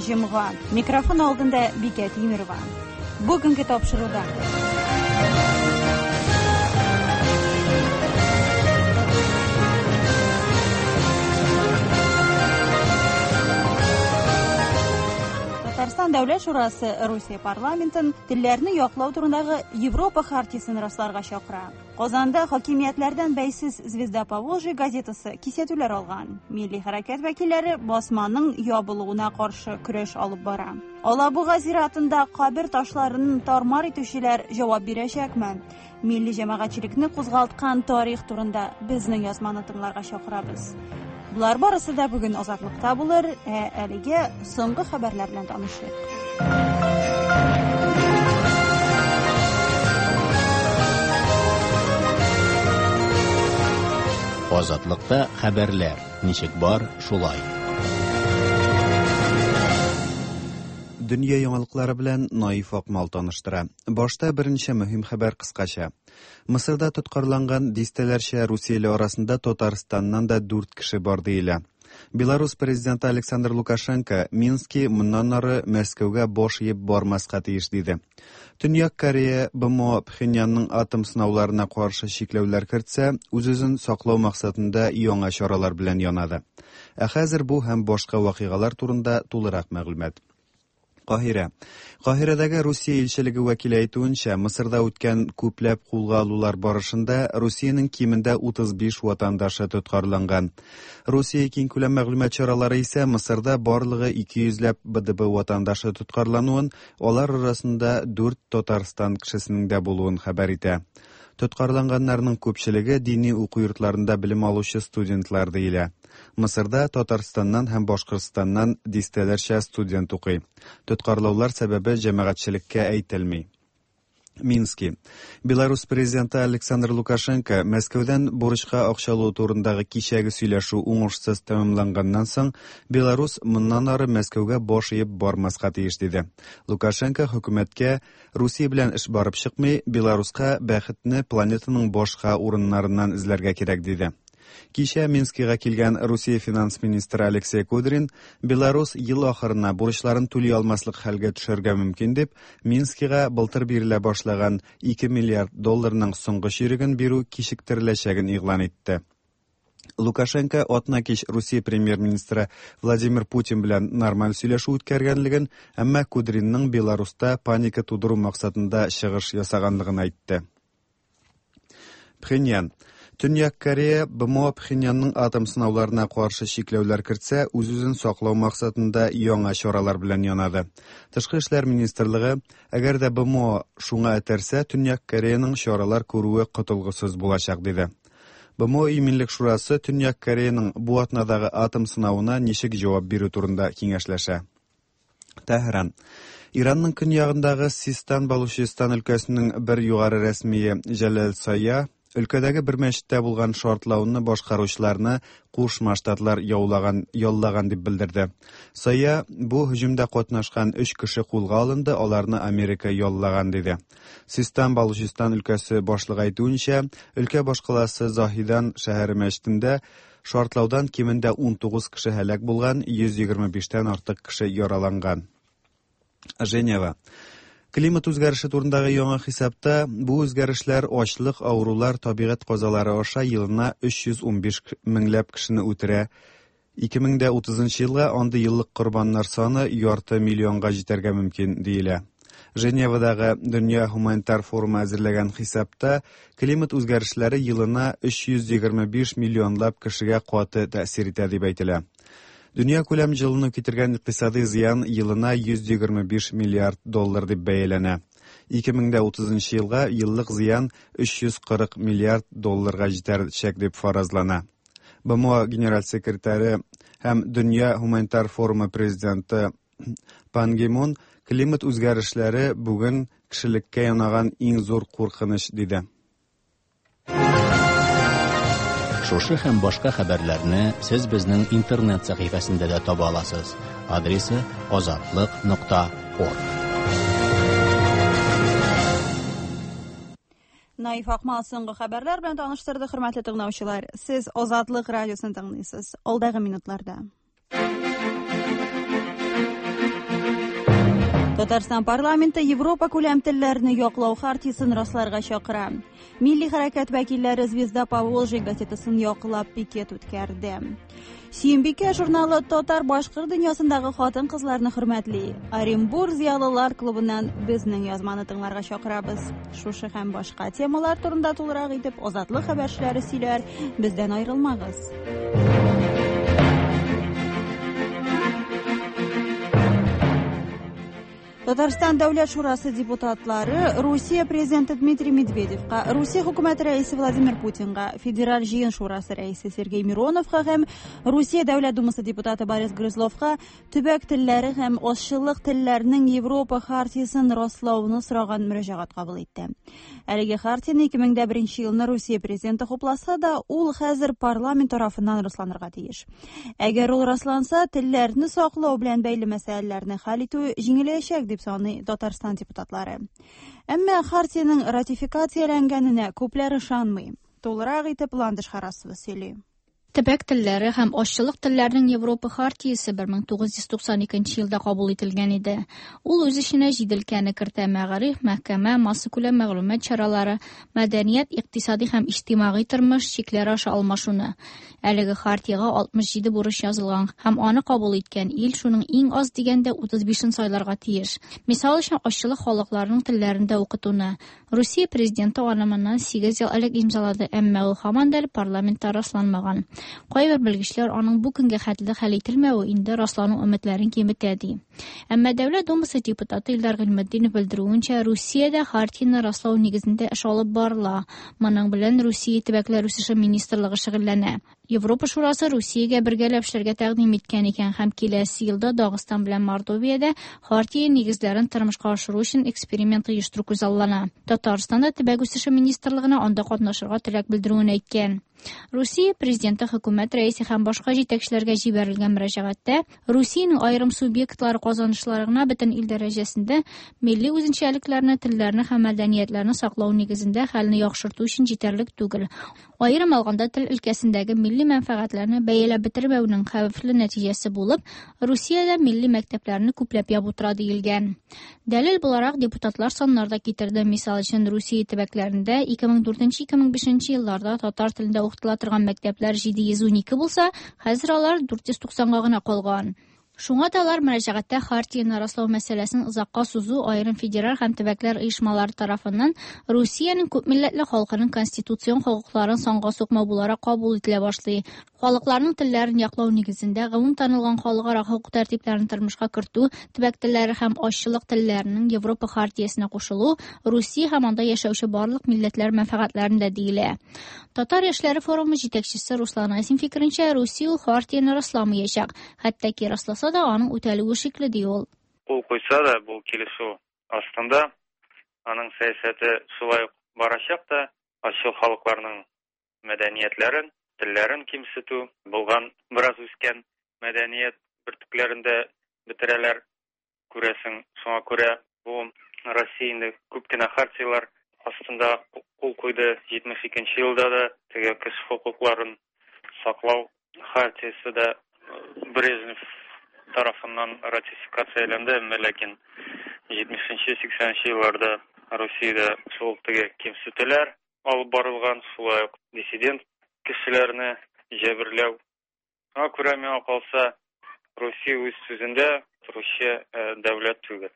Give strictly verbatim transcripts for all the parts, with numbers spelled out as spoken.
җомга. Микрофон алдында Бикә Тимирова. Бүгенге тапшыруда. Татарстан Дәүләт Шурасы Русия парламентын телләрне яклау турындагы Европа хартиясен расларга чакыра. Казанда хакимиятләрдән бәйсез «Звезда Поволжья» газетасы кисәтүләр алган. Милли хәрәкәт вәкилләре басманың ябылуына каршы көрәш алып бара. Алабуга зиратында кабер ташларын тармар итүчеләр җавап бирәчәкме? Милли җәмәгатьчелекне кузгалткан тарих турында безнең язманы тыңларга чакырабыз. Булар барысы да бүген Азатлыкта булыр, ә әлегә соңгы хәбәрләр белән танышыйк. Азатлыкта хәбәрләр ничек бар, шулай. Дөнья яңалыклары белән Наиф Акмал таныштыра. Башта берничә мөһим хәбәр кыскача. Мысырда тоткарланган дистәләрчә русияле арасында Татарстаннан да дүрт кеше бар диелә. Беларус президенты Александр Лукашенко Мински моннан ары Мәскәүгә баш иеп бармаска тиеш диде. Төньяк Корея Б М О Пхеньянның атом сынауларына каршы чикләүләр кертсә, үз-үзен саклау максатында яңа чаралар белән янады. Ә хәзер бу һәм башка вакыйгалар турында тулырак мәгълүмат. Каһирә. Каһирәдәге Русия илчелеге вәкиле әйтүенчә, Мысырда үткән күпләп кулга алулар барышында Русиянең кимендә утыз биш ватандашы тоткарланган. Русия киңкүләм мәгълүмат чаралары исә Мысырда барлыгы ике йөзләп Б Д Б ватандашы тоткарлануын, алар арасында дүрт Татарстан кешесенең дә булуын хәбәр итә. Тоткарланганнарның күпчелеге дини уку йортларында белем алучы студентлар диелә. Мысырда Татарстаннан һәм Башкортстаннан дистәләрчә студент укый. Тоткарлаулар сәбәбе җәмәгатьчелеккә әйтелми. Мински. Беларус президенты Александр Лукашенко Мәскәүдән бурычка акча алу турындагы кичәге сөйләшү уңышсыз тәмамланганнан соң, Беларус моннан ары Мәскәүгә баш иеп бармаска тиеш диде. Лукашенко хөкүмәткә Русия белән эш барып чыкмый, Беларуска бәхетне планетаның башка урыннарыннан эзләргә кирәк диде. Кичә Минскига килгән Русия финанс министры Алексей Кудрин Беларус ел ахырына бурычларын түли алмаслык хәлгә төшәргә мөмкин дип, Минскига былтыр бирелә башлаган ике миллиард долларның соңгы чиреген бирү кичектереләчәген игълан итте. Лукашенко атна кич Русия премьер-министры Владимир Путин белән нормаль сөйләшү үткәргәнлеген, әмма Кудринның Беларуста паника тудыру максатында чыгыш ясаганлыгын әйтте. Пхеньян. Төньяк Корея Б М О Пхеньянның атом сынауларына каршы чикләүләр кертсә, үз-үзен саклау максатында яңа чаралар белән янады. Тышкы эшләр министрлыгы, әгәр дә Б М О шуңа этәрсә, Төньяк Кореяның чаралар күрүе котылгысыз булачак диде. Б М О Иминлек шурасы Төньяк Кореяның бу атнадагы атом сынавына ничек җавап бирү турында киңәшләшә. Тәһран. Иранның көньягындагы Систан-Балучистан өлкәсенең бер югары рәсмие Җәләл Сая өлкәдәге бер мәчеттә булган шартлауны башкаручыларны Кушма Штатлар яулаган, яллаган дип белдерде. Сая бу һөҗүмдә катнашкан өч кеше кулга алынды, аларны Америка яллаган диде. Систан-Балучистан өлкәсе башлыгы әйтүенчә, өлкә башкаласы Заһидан шәһәре мәчетендә шартлаудан кимендә ун тугыз кеше һәлак булган, йөз егерме биштән артык кеше яраланган. Женева. Климат үзгәреше турындагы яңа хисапта бу үзгәрешләр ачлык, авырулар, табигать казалары аша елына өч йөз ун биш меңләп кешене үтерә. Ике мең дә утызынчы елга андый еллык корбаннар саны ярты миллионга җитәргә мөмкин диелә. Женевадагы Дөнья гуманитар форумы әзерләгән хисапта климат үзгәрешләре елына өч йөз егерме биш миллионлап кешегә каты тәэсир итә дип әйтелә. Дөнья күләм җылыну китергән икътисади зыян елына йөз егерме биш миллиард доллар дип бәяләнә. Ике мең дә утызынчы елга еллык зыян өч йөз кырык миллиард долларга җитәчәк дип фаразлана. Б М О генераль секретаре һәм Дөнья гуманитар форумы президенты Пан Ги Мун климат үзгәрешләре бүген кешелеккә янаган иң зур куркыныч диде. Шушы һәм башка хәбәрләрне сез безнең интернет сәхифәсендә дә таба аласыз. Адресы азатлык нокта орг. Наиф Акмал соңгы хәбәрләр белән таныштырды, хөрмәтле тыңлаучылар. Сез Азатлык радиосын тыңлыйсыз. Алдагы минутларда. Татарстан парламенты Европа күләм телләрне яклау хартиясен расларга чакыра. Милли хәрәкәт вәкилләре «Звезда Поволжья» газетасын яклап пикет үткәрде. Сөембикә журналы татар-башкорт дөньясындагы хатын-кызларны хөрмәтли. Оренбур зыялылар клубыннан безнең язманы тыңларга чакырабыз. Шушы һәм башка темалар турында тулырак итеп Азатлык хәбәрчеләре сөйләр. Бездән аерылмагыз. Татарстан Дәүләт Шурасы депутатлары Русия президенты Дмитрий Медведевка, Русия хөкүмәте рәисе Владимир Путинга, Федераль җыен шурасы рәисе Сергей Мироновка һәм Русия Дәүләт Думасы депутаты Борис Грызловка төбәк телләре һәм азчылык телләренең Европа хартиясен раслауны сораган мөрәҗәгать кабул итте. Әлеге хартияне ике мең дә беренче елны Русия президенты хупласа да, ул хәзер парламент тарафыннан расланырга тиеш. Әгәр ул расланса, телләрне саклау белән бәйле мәсьәләләрне хәл итү җиңеләячәк дип саный Татарстан депутатлары. Әмма хартияның ратификацияләнгәненә күпләр ышанмый. Тулырак итеп Ландыш Харасова сөйли. Төбәк телләре һәм азчылык телләренең Европа хартиясе бер мең тугыз йөз туксан икенче елда кабул ителгән иде. Ул үз эченә җиде өлкәне кертә: мәгариф, мәхкәмә, массакүләм мәгълүмат чаралары, мәдәният, икътисади һәм иҗтимагый тормыш, чикләр аша алмашуны. Әлеге хартияга алтмыш җиде бурыч язылган һәм аны кабул иткән ил шуның иң аз дигәндә утыз бишен сайларга тиеш. Мисал өчен, азчылык халыкларының телләрендә укытуны. Русия президенты аны моннан сигез ел элек имзалады, әмма ул һаман да парламентта расланмаган. Кайбер белгечләр аның бу көнгә хәтле хәл ителмәве инде раслану өметләрен киметә ди. Әмма Дәүләт Думасы депутаты Илдар Гыйльметдинов белдерүенчә, Русиядә хартияне раслау нигезендә эш алып барыла. Моның белән Русия төбәкләр үсеше министрлыгы шөгыльләнә. Европа Шурасы Русиягә бергәләп эшләргә тәкъдим иткән икән һәм киләсе елда Дагыстан белән Мордовиядә хартия нигезләрен тормышка ашыру өчен эксперимент оештыру күзаллана. Татарстанда төбәк үсеше министрлыгына анда катнашырга теләк белдерүен әйткән. Русия президенты, хөкүмәт рәисе һәм башка җитәкчеләргә җибәрелгән мөрәҗәгатьтә Русиянең аерым субъектлары казанышлары гына бөтен ил дәрәҗәсендә милли үзенчәлекләрне, телләрне һәм мәдәниятләрне саклау нигезендә хәлне яхшырту өчен җитәрлек түгел. Аерым алганда, тел өлкәсендәге милли мәнфәгатьләрне бәяләп бетермәүнең хәвефле нәтиҗәсе булып, Русиядә милли мәктәпләрне күпләп ябу тора диелгән. Дәлил буларак депутатлар саннар да китерде. Мисал өчен, Русия төбәкләрендә ике мең дүртенче - ике мең бишенче елларда татар телендә укытыла торган мәктәпләр җиде йөз унике булса, хәзер алар дүрт йөз туксанга гына калган. Шуңа да алар мөрәҗәгатьтә хартияне раслау мәсьәләсен озакка сузу аерым федераль һәм төбәкләр оешмалары тарафыннан Русиянең күпмилләтле халкының конституцион хокукларын санга сукмау буларак кабул ителә башлый. Халыкларның телләрен яклау нигезендә гомум танылган халыкара хокук тәртипләрен тормышка кертү, төбәк телләре һәм азчылык телләренең Европа хартиясенә кушылу Русия һәм анда яшәүче барлык милләтләр мәнфәгатьләрендә диелә. Татар яшьләре форумы җитәкчесе Руслан Айсин фикеренчә, Русия ул хартияне расламаячак, хәтта ки расласа да аның үтәлүе шикле ди ул. Кул куйса да бу килешү астында аның сәясәте шулай ук барачак та, азчылык халыкларның мәдәниятләрен, телләрен кимсетү, булган бераз үскән мәдәният бөртекләрендә бетерәләр, күрәсең. Шуңа күрә бу Россия инде күп кенә хартияләр астында кул куйды. Җитмеш икенче елда да теге кеше хокукларын саклау хартиясе дә Брежнев тарафыннан ратификацияләнде, әмма ләкин җитмешенче, сиксәненче елларда Русиядә шул теге кимсетүләр алып барылган, шулай ук диссидент кешеләрне җәберләү. Шуңа күрә миңа калса, Русия үз сүзендә торучы дәүләт түгел.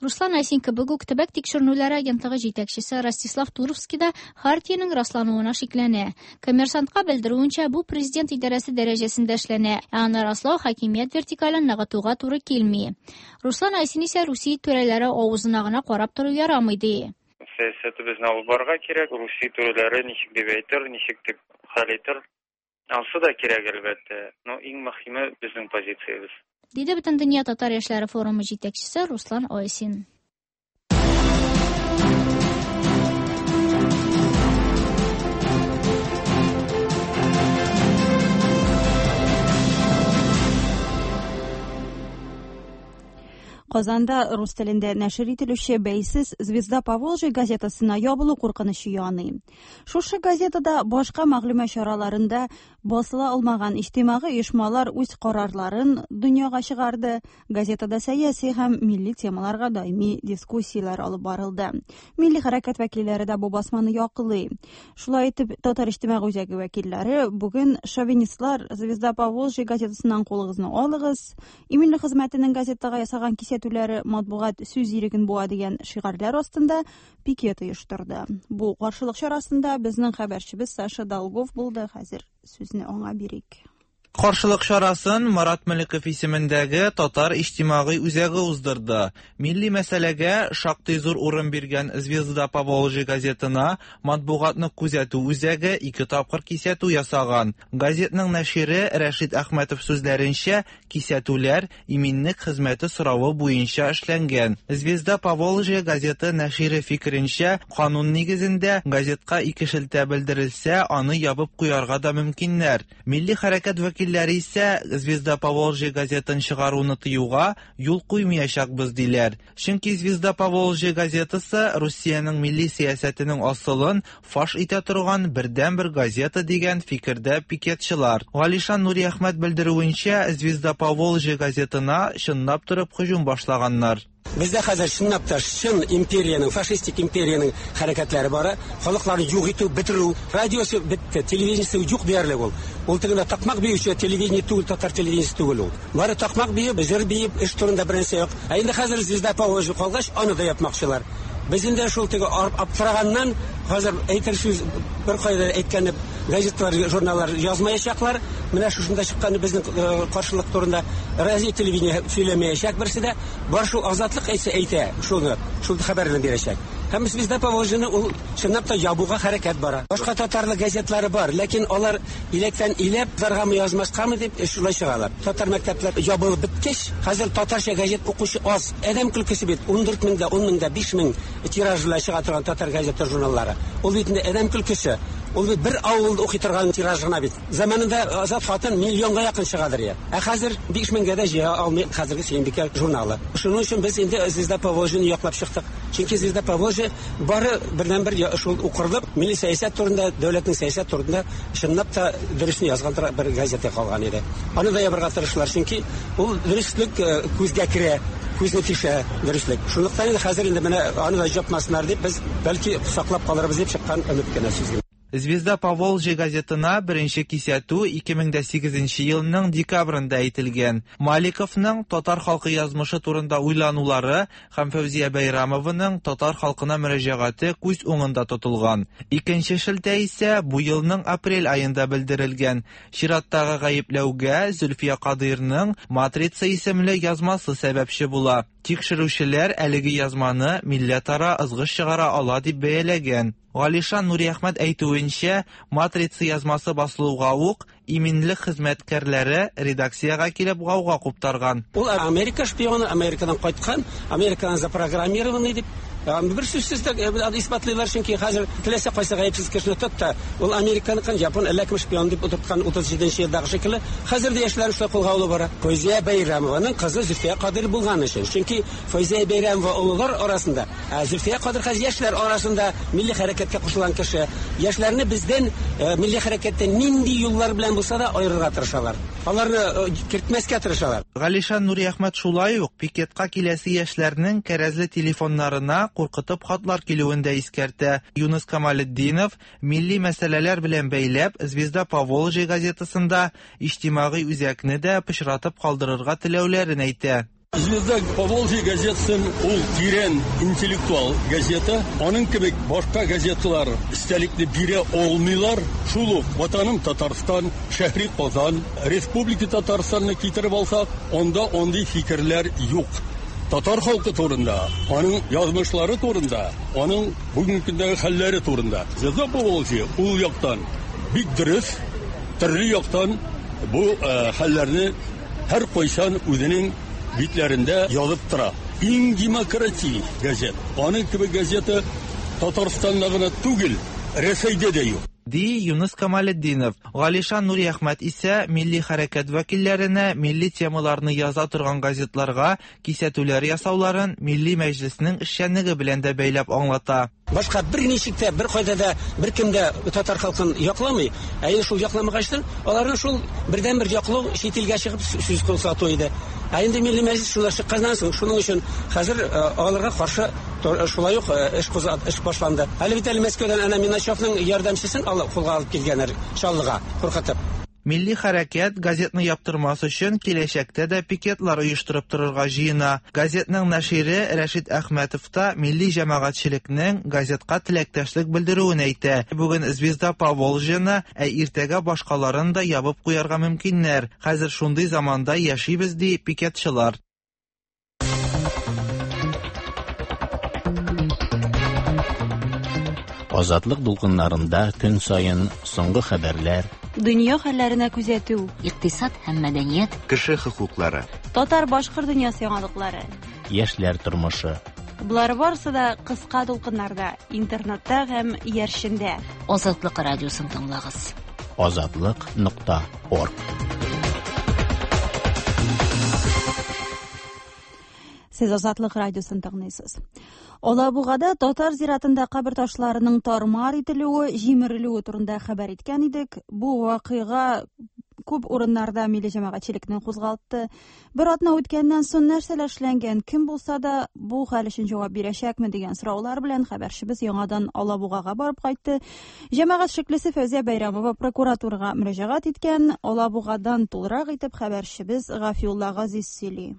Руслан Айсин кебек үк төбәк тикшеренүләре агентлыгы җитәкчесе Ростислав Туровский да хартияның раслануына шикләнә. Коммерсантка белдерүенчә, бу президент идарәсе дәрәҗәсендә эшләнә, ә аны раслау хакимият вертикален ныгытуга туры килми. Руслан Айсин исә Русия түрәләре авызына гына карап тору ярамый ди. Сәясәтебезне алып барырга кирәк. Русия түрәләре ничек дип әйтер, ничек дип хәл итер, ансы да кирәк әлбәттә. Но иң мөһиме безнең позициябез. Диде Бөтендөнья татар яшьләре форумы җитәкчесе Руслан Айсин. Казанда рус телендә нәшер ителүче бәйсез «Звезда Поволжья» газетасына ябылу куркынычы яный. Шушы газетада башка мәгълүмат чараларында Басыла алмаган иҗтимагый оешмалар үз карарларын дөньяга чыгарды. Газетада сәяси һәм милли темаларга даими дискуссияләр алып барылды. Милли хәрәкәт вәкилләре дә бу басманы яклый. Шулай итеп, Татар иҗтимагый үзәге вәкилләре бүген шовинистлар «Звезда Поволжья» газетасыннан кулыгызны алыгыз, иминлек хезмәтенең газетага ясаган кисәтүләре матбугат сүз иреген буа дигән шигарьләр астында пикет оештырды. Бу каршылык чарасында безнең хәбәрчебез Саша Долгов булды. Хәзер сүзне аңа бирик. Каршылык чарасын Марат Мөлеков исемендәге Татар иҗтимагый үзәге уздырды. Милли мәсьәләгә шактый зур урын биргән «Звезда Поволжья» газетына матбугатны күзәтү үзәге ике тапкыр кисәтү ясаган. Газетның нәшире Рәшит Әхмәтов сүзләренчә, кисәтүләр иминлек хезмәте соравы буенча эшләнгән. «Звезда Поволжья» газеты нәшире фикеренчә, канун нигезендә газетка ике шелтә белдерелсә, аны ябып куярга да мөмкиннәр. Милли хәрәкәт вәкилләре исә «Звезда Поволжья» газетын чыгаруны тыюга юл куймаячакбыз диләр. Чөнки «Звезда Поволжья» газетасы Русиянең милли сәясәтенең асылын фаш итә торган бердәнбер газета дигән фикердә пикетчылар. Галишан Нуриәхмәт белдерүенчә, «Звезда Поволжья» газетына чынлап торып һөҗүм башлаганнар. Бездә хәзер чынлап та чын империянең, фашистик империянең хәрәкәтләре бара. Халыкларны юк итү, бетерү, радиосы бетте, телевидениесе юк диярлек ул. Ул тегендә такмак биюче телевидение түгел, татар телевидениесе түгел ул. Бары такмак биеп, җыр биеп, эш турында бернәрсә юк. Ә инде хәзер «Звезда Поволжья» калгач, аны да япмакчылар. Без инде шул теге аптыраганнан хәзер әйтер сүз бер кайда әйткәне газетлар, журналлар язмаячаклар. Менә шушында чыккан безнең каршылык турында радио, телевидение сөйләмәячәк берсе дә. Бар шул Азатлык әйтсә әйтә, шуны, шул хәбәрне бирәчәк. Һәм «Звезда Поволжья»ны ул чынлап та ябуга хәрәкәт бара. Башка татарлы газетлары бар, ләкин алар иләктән иләп язаргамы язмаскамы дип шулай чыгалар. Татар мәктәпләр ябылып беткәч, хәзер татарча газет укучы аз. Адәм көлкесе бит ун дүрт меңдә, ун меңдә, биш мең тираж белән чыга торган татар газета журналлары. Ул бит инде адәм көлкесе. Ул бит бер авылда укый торган тираж гына бит. Заманында Азат хатын миллионга якын чыгадыр я. Ә хәзер биш меңгә дә җыя алмый хәзерге Сөембикә журналы. Шуның өчен без инде «Звезда Поволжья»ны яклап чыктык. Чөнки «Звезда Поволжья» бары бердән-бер шул укырлык милли сәясәт турында, дәүләтнең сәясәт турында чынлап та дөресен язган бер газета калган иде. Аны да ябырга тырыштылар, чөнки ул дөреслек күзгә керә, күзне тишә дөреслек. Шунлыктан инде хәзер инде менә аны да япмасыннар дип без бәлки саклап калырбыз дип чыккан өмет кенә сүз. «Звезда Поволжья» газетына беренче кисәтү ике мең дә сигезенче елның декабрендә әйтелгән. Маликовның татар халкы язмышы турында уйланулары һәм Фәүзия Бәйрамованың татар халкына мөрәҗәгате күз уңында тотылган. Икенче шелтә исә бу елның апрель аенда белдерелгән. Чираттагы гаепләүгә Зөлфия Кадыйрның «Матрица» исемле язмасы сәбәпче була. Тикшерүчеләр әлеге язманы милләтара ызгыш чыгара ала дип бәяләгән. Галишан Нуриәхмәт әйтүенчә, «Матрица» язмасы басылуга ук иминлек хезмәткәрләре редакциягә килеп гауга куптарган. Ул Америка шпионы, Америкадан кайткан, Америкадан запрограммированный дип бер сүзсез дә исбатлыйлар, чөнки хәзер теләсә кайсы гаепсез кешене тот та, ул Американыкын, Япон әллә кем шпион дип утырткан утыз җиденче елдагы шикелле, хәзер дә яшьләр шулай кулга алып бара. Фәүзия Бәйрәмованың кызы Зөлфия Кадыр булган өчен. Чөнки Фәүзия Бәйрәмова олылар арасында, ә Зөлфия Кадыр хәзер яшьләр арасында милли хәрәкәткә кушылган кеше. Яшьләрне бездән милли хәрәкәттән нинди юллар белән булса да аерырга тырышалар. Аларны кертмәскә тырышалар. Галишан Нуриәхмәт шулай ук пикетка киләсе яшьләрнең кәрәзле телефоннарына куркытып хатлар килүен дә искәртә. Юныс Камалетдинов милли мәсьәләләр белән бәйләп «Звезда Поволжья» газетасында иҗтимагый үзәкне дә пычратып калдырырга теләүләрен әйтә. «Звезда Поволжья» газетасын ул тирән интеллектуал газета. Аның кебек башка газеталар истәлекне бирә алмыйлар. Шул ук Ватаным Татарстан, Шәһри Казан, Республика Татарстанны китереп алсак, анда андый фикерләр юк. Татар халкы турында, аның язмышлары турында, аның бүгенге көндәге хәлләре турында. «Звезда Поволжья» ул яктан бик дөрес, төрле яктан бу хәлләрне һәр кайчан үзенең битләрендә язып тора. Иң демократик газет. Аның кебек газета Татарстанда гына түгел, Рәсәйдә дә юк. ди Юныс Камалетдинов. Галишан Нуриәхмәт исә милли хәрәкәт вәкилләренә милли темаларны яза торган газетларга кисәтүләр ясауларын Милли Мәҗлеснең эшчәнлеге белән дә бәйләп аңлата. Башка бер ничек тә, бер кайда да, бер кем дә татар халкын якламый. Ә инде шул якламагачтын, аларны шул бердән-бер яклау чит илгә чыгып сүз кузгату иде. Ә инде Милли Мәҗлес шулар чыкканнан соң, шуның өчен хәзер аларга каршы шулай ук эш кузгат, эш башланды. Әле бит әле Мәскәүдән әнә Миначевның ярдәмчесен алып кулга алып килгәннәр Чаллыга, куркытып. Милли хәрәкәт газетны яптырмас өчен киләчәктә дә пикетлар оештырып торырга җыена. Газетның нәшире Рәшит Әхмәтов та милли җәмәгатьчелекнең газетка теләктәшлек белдерүен әйтә. Бүген Звезда Поволжьены, ә иртәгә башкаларын да ябып куярга мөмкиннәр. Хәзер шундый заманда яшибез, ди пикетчылар. Азатлык дулкыннарында көн саен соңгы хәбәрләр, дөнья хәлләренә күзәтү, икътисад һәм мәдәният, кеше хокуклары, татар-башкорт дөньясы яңалыклары, яшьләр тормышы. Болар барысы да кыска дулкыннарда, интернетта һәм иярчендә. Азатлык радиосын тыңлагыз. Азатлык нокта орг. Сез Азатлык радиосын тыңлыйсыз. Алабугада татар зиратында кабер ташларының тармар ителүе, җимерелүе турында хәбәр иткән идек. Бу вакыйга күп урыннарда милли җәмәгатьчелекне кузгалтты. Бер атна үткәннән соң нәрсәләр эшләнгән, кем булса да бу хәл өчен җавап бирәчәкме дигән сораулар белән хәбәрчебез яңадан Алабугага барып кайтты. Җәмәгать эшлеклесе Фәүзия Бәйрәмова прокуратурага мөрәҗәгать иткән. Алабугадан тулырак итеп хәбәрчебез Гафиулла Газиз сөйли.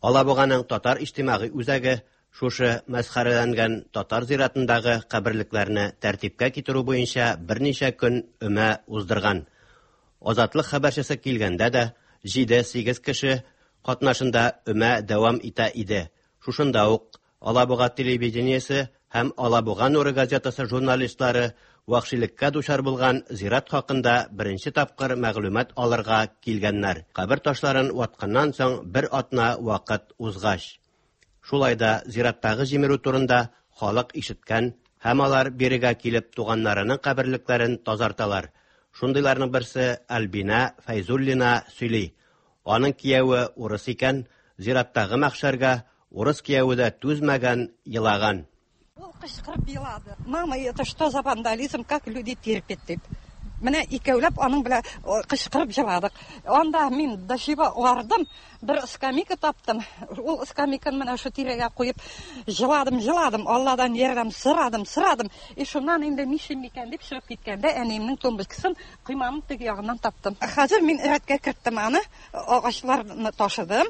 Алабуганың татар иҗтимагый үзәге шушы мәсхәрәләнгән татар зиратындагы каберлекләрне тәртипкә китерү буенча берничә көн өмә уздырган. Азатлык хәбәрчесе килгәндә дә җиде-сигез кеше катнашында өмә дәвам итә иде. Шушында ук Алабуга телевидениесе һәм Алабуга нуры газетасы журналистлары вәхшилеккә дучар булган зират хакында беренче тапкыр мәгълүмат алырга килгәннәр. Кабер ташларын ватканнан соң бер атна вакыт узгач. Шулай да зираттагы җимерү турында халык ишеткән һәм алар бирегә килеп туганнарының каберлекләрен тазарталар. Шундыйларның берсе Альбина Фәйзуллина сөйли. Аның кияве урыс икән, зираттагы мәхшәргә урыс кияве дә түзмәгән, елаган. Ул кычкырып елады. Мама, это что за вандализм, как люди терпят, дип. Менә икәүләп аның белән кычкырып җыладык. Анда мин дашиба бардым, бер скамейка таптым. Ул скамейканы менә шу тирәгә куеп җыладым, җыладым. Алладан ярдәм сорадым, сорадым. И шуннан инде нишлим икән дип чыгып киткәндә әниемнең тумбочкасын койманың теге ягыннан таптым. Хәзер мин рәткә керттем аны, агачларны ташыдым.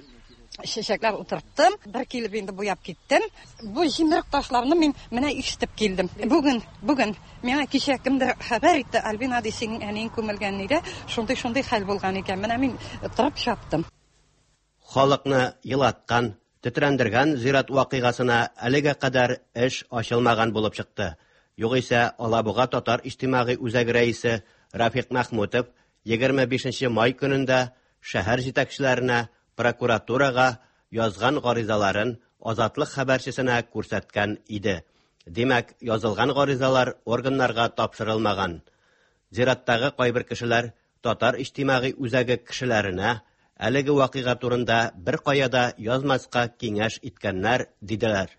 Чәчәкләр утырттым, бер килеп инде буяп киттем. Бу җимерек ташларны мин менә ишетеп килдем. Бүген, бүген миңа кичә кемдер хәбәр итте, Альбина ди, синең әниең күмелгән иде, шундый-шундый хәл булган икән. Менә мин торып чаптым. Халыкны елаткан, тетрәндергән зират вакыйгасына әлегә кадәр эш ачылмаган булып чыкты. Югыйсә Алабуга татар иҗтимагый үзәге рәисе Рафик Махмутов егерме бишенче май көнендә шәһәр җитәкчеләренә, прокуратурага язган гаризаларын Азатлык хәбәрчесенә күрсәткән иде. Димәк, язылган гаризалар органнарга тапшырылмаган. Зираттагы кайбер кешеләр татар иҗтимагый үзәге кешеләренә әлеге вакыйга турында бер кая да язмаска киңәш иткәннәр, диделәр.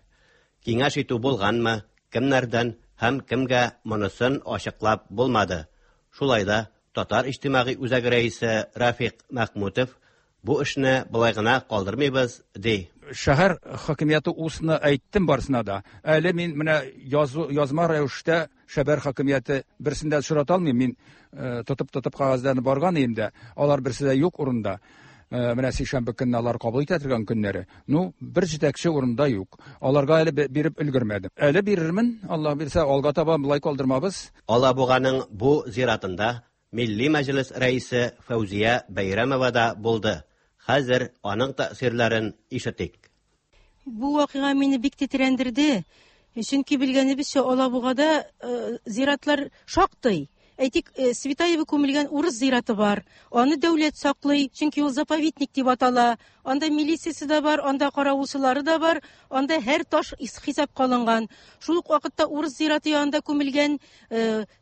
Киңәш итү булганмы, кемнәрдән һәм кемгә, монысын ачыклап булмады. Шулай да татар иҗтимагый үзәге рәисе Рафик Махмутов бу эшне былай гына калдырмыйбыз, ди. Шәһәр хакимияте устны әйттем барысына да. Әле мин менә язу, язма рәвештә шәһәр хакимияте берсендә очрата алмыйм. Мин тотып-тотып кәгазьләрне барган идем дә, алар берсе дә юк урында. Менә сишәмбе көнне алар кабул итә торган көннәре. Ну, бер җитәкче урында юк. Аларга әле биреп өлгермәдем. Әле бирермен, Алла бирсә, алга таба былай калдырмабыз. Алабуганың бу зиратында Милли Мәҗлес рәисе Фәүзия Бәйрәмова да булды. Хәзер аның тәэсирләрен ишетик. Бу вакыйга мине бик тетрәндерде. Чөнки белгәнебезчә, Алабугада зиратлар шактый. Әйтик, Светаева күмелгән урыс зираты бар. Аны дәүләт саклый, чөнки ул заповедник дип атала. Анда милициясе дә бар, анда каравылчылары да бар, анда һәр таш хисапка алынган. Шул ук вакытта урыс зираты янында күмелгән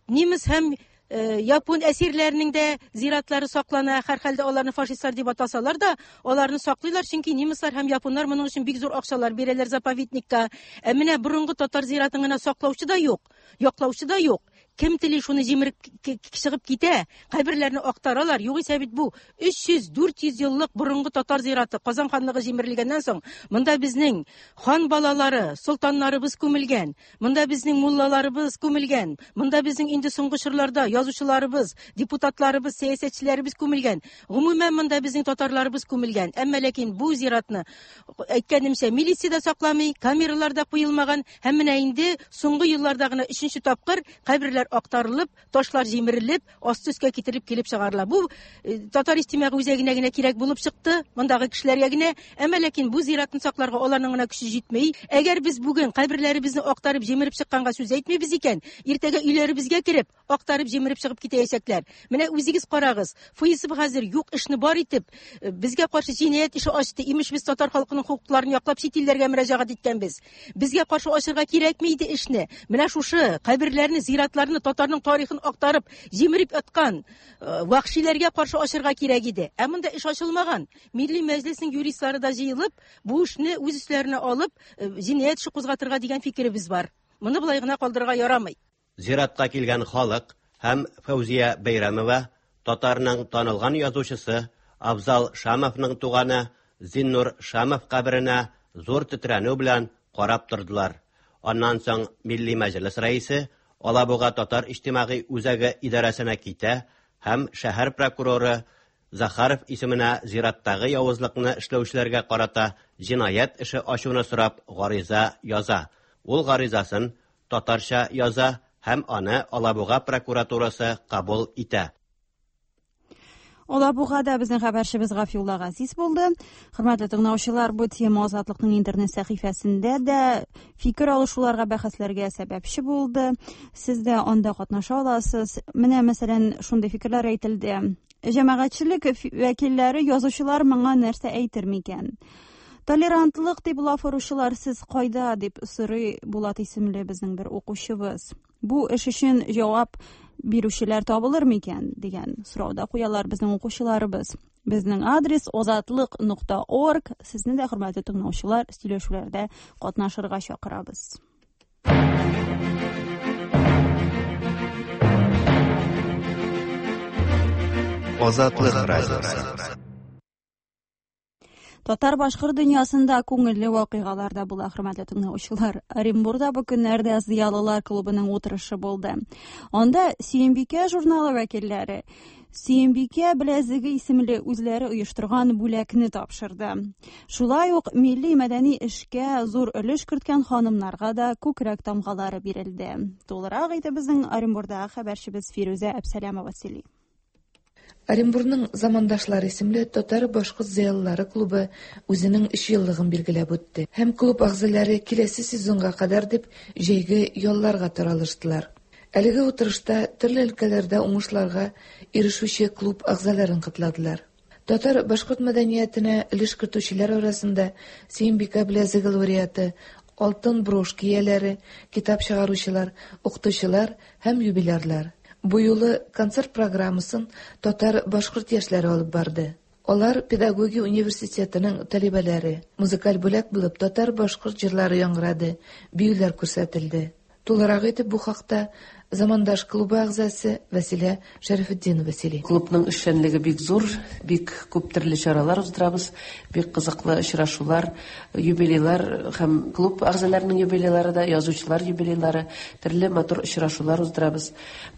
немец һәм япон әсирләренең дә зиратлары саклана. Һәрхәлдә аларны фашистлар дип атасалар да, аларны саклыйлар, чөнки немецлар һәм японнар моның өчен бик зур акчалар бирәләр заповедникка. Ә менә борынгы татар зиратын гына саклаучы да юк, яклаучы да юк. Кем тели шуны җимереп чыгып китә, каберләрне актаралар. Югыйсә бит бу өч йөз дүрт йөз еллык борынгы татар зираты Казан ханлыгы җимерелгәннән соң, монда безнең хан балалары, солтаннарыбыз күмелгән, монда безнең муллаларыбыз күмелгән, монда безнең инде соңгы чорларда язучыларыбыз, депутатларыбыз, сәясәтчеләребез күмелгән. Гомумән монда безнең татарларыбыз күмелгән. Әмма ләкин бу зиратны, әйткәнемчә, милиция дә сакламый, камералар да куелмаган һәм менә инде соңгы елларда гына өченче тапкыр каберләр актарылып, ташлар җимерелеп, асты өскә китереп килеп чыгарыла. Бу татар иҗтимагый үзәгенә генә кирәк булып чыкты, мондагы кешеләргә генә. Әмма ләкин бу зиратны сакларга аларның гына көче җитми. Әгәр без бүген каберләребезне актарып җимереп чыкканга сүз әйтмибез икән, иртәгә өйләребезгә кереп, актарып җимереп чыгып китәчәкләр. Менә үзегез карагыз, ФСБ хәзер юк эшне бар итеп, безгә каршы җинаять эше ачты. Имеш без татар халкының хокукларын яклап чит илләргә мөрәҗәгать иткәнбез. Безгә каршы ачырга кирәкми иде эшне. Менә шушы каберләрне, зиратларны, татарның тарихын актарып, җимереп аткан вәхшиләргә каршы ачырга кирәк иде. Ә монда эш ачылмаган. Милли Мәҗлеснең юристлары да җыелып, бу эшне үз өсләренә алып, җинаять эше кузгатырга дигән фикеребез бар. Моны болай гына калдырырга ярамый. Зиратка килгән халык һәм Фәүзия Бәйрәмова, татарның танылган язучысы Абзал Шамовның туганы Зиннур Шамов каберенә зур тетрәнү белән карап тордылар. Аннан соң Милли Мәҗлес рәисе Алабуга татар иҗтимагый үзәге идарәсенә китә һәм шәһәр прокуроры Захаров исеменә зираттагы явызлыкны эшләүчеләргә карата җинаять эше ачуны сорап гариза яза. Ул гаризасын татарча яза һәм аны Алабуга прокуратурасы кабул итә. Алабугада безнең хәбәрчебез Гафиулла Газиз булды. Хөрмәтле тыңлаучылар, бу тема Азатлыкның интернет сәхифәсендә дә фикер алышуларга, бәхәсләргә сәбәпче булды. Сез дә анда катнаша аласыз. Менә мәсәлән, шундый фикерләр әйтелде. Җәмәгатьчелек вәкилләре, язучылар моңа нәрсә әйтер микән? Толерантлык дип лаф оручылар сез кайда дип сорый Булат исемле безнең бер укучыбыз. Бу эш өчен җавап бирүчеләр табылыр микән дигән сорауда куялар безнең укучыларыбыз. Безнең адрес озатлык нокта орг. Сезне дә, хөрмәтле тыңлаучылар, сөйләшүләрдә катнашырга чакырабыз. Азатлык радиосы. Татар-башкорт дөньясында күңелле вакыйгалар да була, хөрмәтле тыңлаучылар. Оренбурда бу көннәрдә Зыялылар клубының утырышы булды. Анда Сөембикә журналы вәкилләре Сөембикә беләзеге исемле үзләре оештырган бүләкне тапшырды. Шулай ук милли мәдәни эшкә зур өлеш керткән ханымнарга да күкрәк тамгалары бирелде. Тулырак итеп безнең Оренбурдагы хәбәрчебез Фирүзә Әбсәләмова сөйли. Оренбурның Замандашлар исемле татар-башкорт зыялылары клубы үзенең өч еллыгын билгеләп үтте. Һәм клуб әгъзалары киләсе сезонга кадәр дип җәйге ялларга таралыштылар. Әлеге утырышта төрле өлкәләрдә уңышларга ирешүче клуб әгъзаларын котладылар. Татар-башкорт мәдәниятенә өлеш кертүчеләр арасында Сөембикә беләзеге лауреаты, алтын брошка ияләре, китап чыгаручылар, укытучылар һәм юбилярлар. Бу юлы концерт программасын татар-башкорт яшьләре алып барды. Алар педагогия университетының талибәләре. Музыкаль бүләк булып татар-башкорт җырлары яңгырады, биюләр күрсәтелде. Тулырак итеп бу хакта Замандаш клубы әгъзасы Вәсилә Шәрифетдинова сөйли. Клубның эшчәнлеге бик зур, бик күп төрле чаралар уздырабыз, бик кызыклы очрашулар, юбилейлар һәм клуб әгъзаларының юбилейлары да, язучылар юбилейлары, төрле матур очрашулар уздырабыз.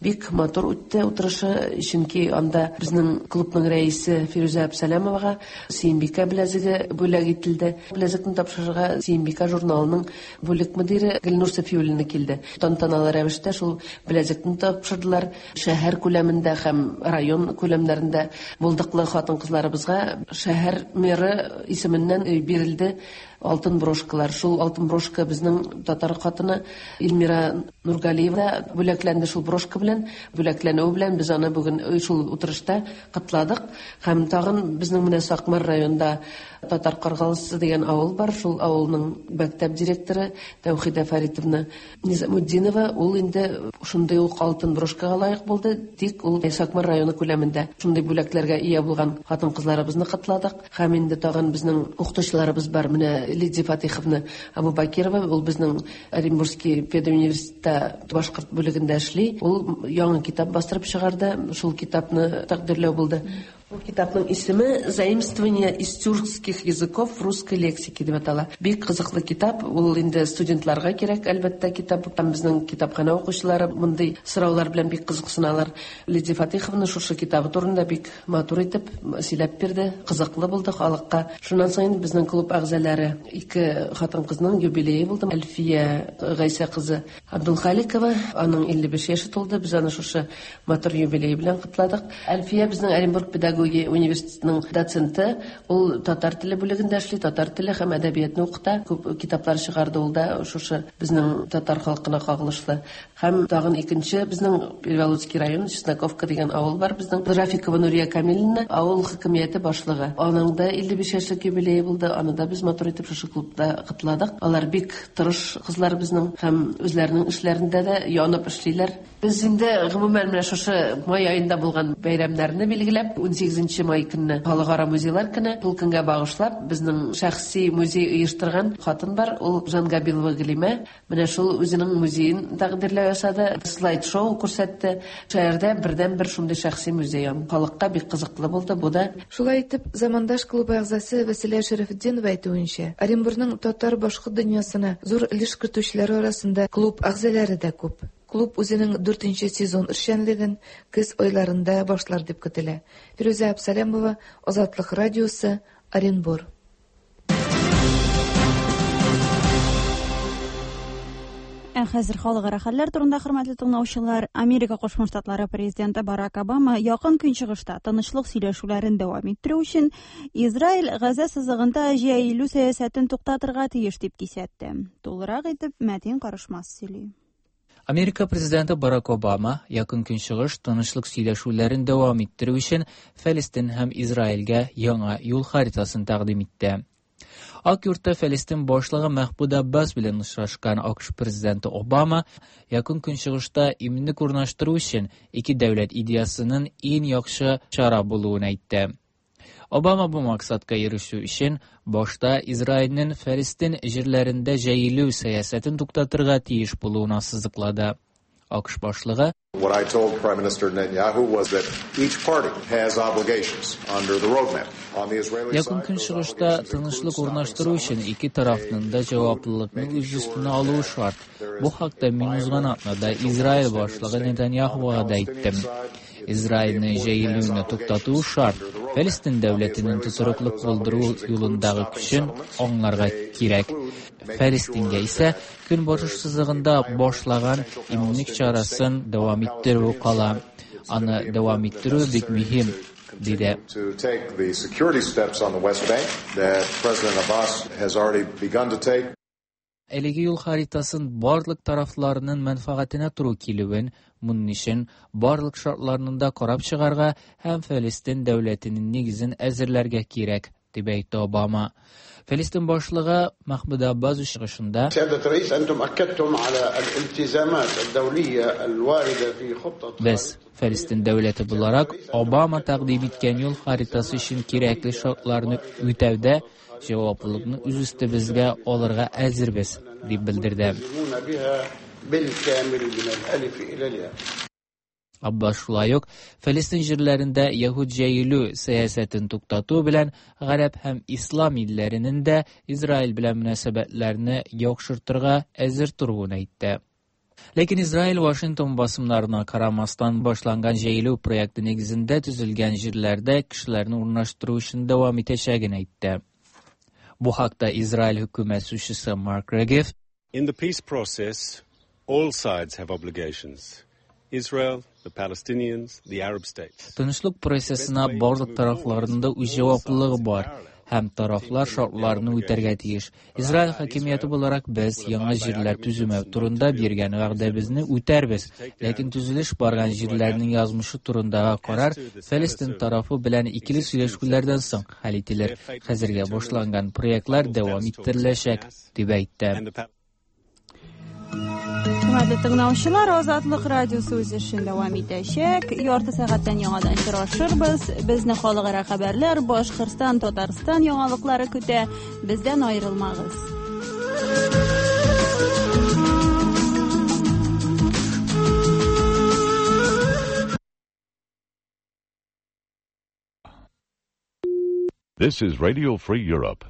Бик матур үтте утырышы, чөнки анда безнең клубның рәисе Фирүзә Әбсәләмовага Сөембикә беләзеге бүләк ителде. Беләзекне тапшырырга Сөембикә журналының бүлек мөдире Гөлнур Сафиуллина килде. Тантаналы рәвештә шул беләзекне тапшырдылар. Шәһәр күләмендә һәм район күләмнәрендә булдыклы хатын-кызларыбызга шәһәр мэры исеменнән бирелде алтын брошкалар. Шул алтын брошка безнең татар хатыны Эльмира Нургалиева бүләкләнде шул брошка белән. Бүләкләнүе белән без аны бүген шул утырышта котладык. Һәм тагын безнең менә Сакмар районында Татар Каргалысы дигән авыл бар. Шул авылның мәктәп директоры Тәүхидә Фәритовна Низамутдинова ул инде шундый ук алтын брошкага лаек булды. Тик ул Сакмар районы күләмендә шундый бүләкләргә ия булган хатын-кызларыбызны котладык. Һәм инде тагын безнең укытучыларыбыз бар. Менә Лидия Фатиховна Абубакирова, ул безнең Оренбургский педуниверситетта башкорт бүлегендә эшли. Ул яңа китап бастырып чыгарды. Шул китапны тәкъдирләү булды. Бу китапның исеме «Заимствование из тюркских языков в русской лексике» дип атала. Бик кызыклы китап. Ул инде студентларга кирәк, әлбәттә, китап. Һәм безнең китапханә укучылары мондый сораулар белән бик кызыксыналар. Лидия Фатиховна шушы китабы турында бик матур итеп сөйләп бирде. Кызыклы булды халыкка. Шуннан соң инде безнең клуб әгъзалары ике хатын-кызның юбилее булды. Әлфия Гайсә кызы Абдулхаликова, аның илле биш яше тулды. Без аны шушы матур юбилее белән котладык. Әлфия безнең Оренбург педагогия университетының доценты, ул татар теле бүлегендә эшли, татар теле һәм әдәбиятны укыта. Күп китаплар чыгарды ул да шушы безнең татар халкына кагылышлы. Һәм тагын икенче безнең Переволоцкий район, Чесноковка дигән авыл бар безнең. Рафикова Нурия Камиловна, авыл хакимияте башлыгы. Аның да илле биш яшьлек юбилее булды. Аны да без матур итеп шушы клубта котладык. Алар бик тырыш кызлар безнең һәм үзләренең эшләрендә дә янып эшлиләр. Без инде гомумән менә шушы май аенда булган бәйрәмнәрне билгеләп, ун сигезенче май көнне Халыкара музейлар көне, шул көнгә багышлап безнең шәхси музей оештырган хатын бар, ул Жангабилова Галимә. Менә шул үзенең музеен тәкъдирләү ясады, слайд-шоу күрсәтте. Шәһәрдә бердән-бер шундый шәхси музей. Халыкка бик кызыклы булды бу да. Шулай итеп, Замандаш клубы әгъзасы Вәсилә Шәрәфетдинова әйтүенчә, Оренбургның татар-башкорт дөньясына зур өлеш кертүчеләр арасында клуб әгъзалары да күп. Клуб үзенең дүртенче сезон эшчәнлеген көз айларында башлар дип көтелә. Фирүзә Абсалямова, Азатлык радиосы, Оренбур. Ә хәзер халыкара хәлләр турында, хөрмәтле тыңлаучылар, Америка Кушма Штатлары президенты Барак Обама якын көнчыгышта тынычлык сөйләшүләрен дәвам иттерү өчен Израиль Газа сызыгында җәелү сәясәтен туктатырга тиеш дип кисәтте. Тулырак итеп Мәтин Карышмас сөйли. Америка президенты Барак Обама якын көнчыгыш тынычлык сөйләшүләрен дәвам иттерү өчен Фәлестин һәм Израильгә яңа юл харитасын тәкъдим итте. Ак йортта Фәлестин башлыгы Мәхмүд Аббас белән очрашкан АКШ президенты Обама якын көнчыгышта иминлек урнаштыру өчен ике дәүләт идеясының иң яхшы чара булуын әйтте. Обама бу максатка ирешү өчен башта Израильнең Фәлестин җирләрендә җәелү сәясәтен туктатырга тиеш булуын ассызыклады. АКШ башлыгы What I told Prime Minister Netanyahu was that each party has obligations under the roadmap. On the Israeli Якын көнчыгышта тынычлык урнаштыру өчен ике тарафның да җаваплылыкны үз өстенә алуы шарт. Бу хакта мин узган атнада Израиль башлыгы Нетаньяхуга да әйттем. Израильне җәелүне туктату шарт. Фәлестин дәүләтенең тотрыклык булдыру юлындагы көчен аңларга кирәк. Фәлестингә исә көнбатыш сызыгында башлаган иминлек чарасын дәвам иттерү кала. Аны дәвам иттерү бик мөһим, диде. To take the security steps on the West Bank that President Abbas has already begun to take. Әлеге юл харитасын барлык тарафларның мәнфәгатенә туры килүен, моның өчен барлык шартларны да карап чыгарга һәм Фәлестин дәүләтенең нигезен әзерләргә кирәк, дип әйтте Обама. Фәлестин башлыгы Мәхмүд Аббас чыгышында Без Фәлестин дәүләте буларак Обама тәкъдим иткән юл харитасы өчен кирәкле шартларны үтәүдә җаваплылыкны үз өстебезгә алырга әзербез, дип белдерде. Аббас шулай ук Фәлестин җирләрендә яһүд җәелү сәясәтен туктату белән гарәп һәм ислам илләренең дә Израиль белән мөнәсәбәтләрне яхшыртырга әзер торуын әйтте. Ләкин Израиль Вашингтон басымнарына карамастан башланган җәелү проекты нигезендә төзелгән җирләрдә кешеләрне урнаштыру эшен дәвам итәчәген әйтте. Бу хакта Израиль хөкүмәт сүзчесе Марк Регев In the peace process, all sides have obligations. Israel, the Palestinians, the Arab states. Тынычлык процессына барлык тарафларның да үз җаваплылыгы бар һәм тарафлар шартларны үтәргә тиеш. Израиль хакимияте буларак без яңа җирләр төземәү турында биргән вәгъдәбезне үтәрбез, ләкин төзелеш барган җирләрнең язмышы турындагы карар Фәлестин тарафы белән икеле сөйләшүләрдән соң хәл ителер. Хәзергә башланган проектлар дәвам иттереләчәк, дип әйтте. Хөрмәтле тыңлаучылар, Азатлык радиосы үз эшен дәвам итәчәк. Ярты сәгатьтән яңадан очрашырбыз. Безне халыкара хәбәрләр, Башкортстан, Татарстан яңалыклары көтә. Бездән аерылмагыз. This is Radio Free Europe.